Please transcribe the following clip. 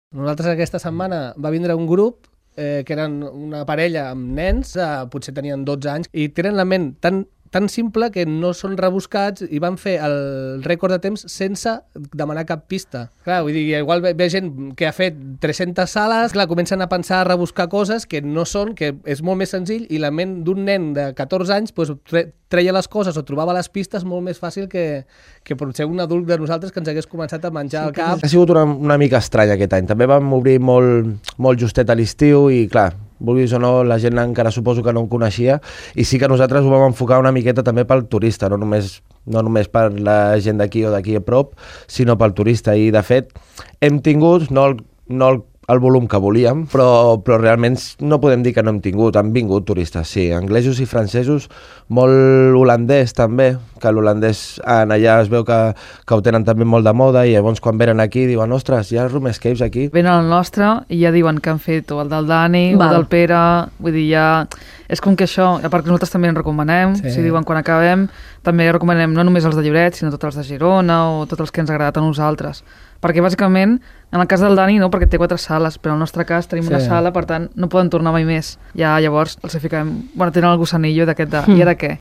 Nosaltres aquesta setmana va vindre un grup que eren una parella amb nens, potser tenien 12 anys, i tenen la ment tan simple que no són rebuscats i van fer el rècord de temps sense demanar cap pista. Clar, vull dir, igual ve gent que ha fet 300 sales, clar, comencen a pensar a rebuscar coses que no són, que és molt més senzill, i la ment d'un nen de 14 anys pues, treia les coses o trobava les pistes molt més fàcil que potser un adult de nosaltres que ens hagués començat a menjar el cap. Ha sigut una mica estrany aquest any. També vam obrir molt justet a l'estiu i, clar, vulguis o no, la gent encara suposo que no en coneixia, i sí que nosaltres ho vam enfocar una miqueta també pel turista, no només per la gent d'aquí o d'aquí a prop, sinó pel turista. I, de fet, hem tingut, no el volum que volíem, però realment no podem dir que no hem tingut. Han vingut turistes, sí, anglesos i francesos, molt holandès també, que l'holandès allà es veu que ho tenen també molt de moda, i llavors quan venen aquí diuen, ostres, hi ha room escapes aquí. Venen al nostre i ja diuen que han fet o el del Dani o el del Pere, vull dir, ja... És com que això, a part que nosaltres també en recomanem, si diuen quan acabem, també recomanem no només els de Lloret, sinó tots els de Girona o tots els que ens ha agradat a nosaltres. Perquè bàsicament, en el cas del Dani no, perquè té 4 sales, però en el nostre cas tenim una sala, per tant no poden tornar mai més. Ja llavors els fiquem, bueno, tenen el gossanillo d'aquest de, i ara què?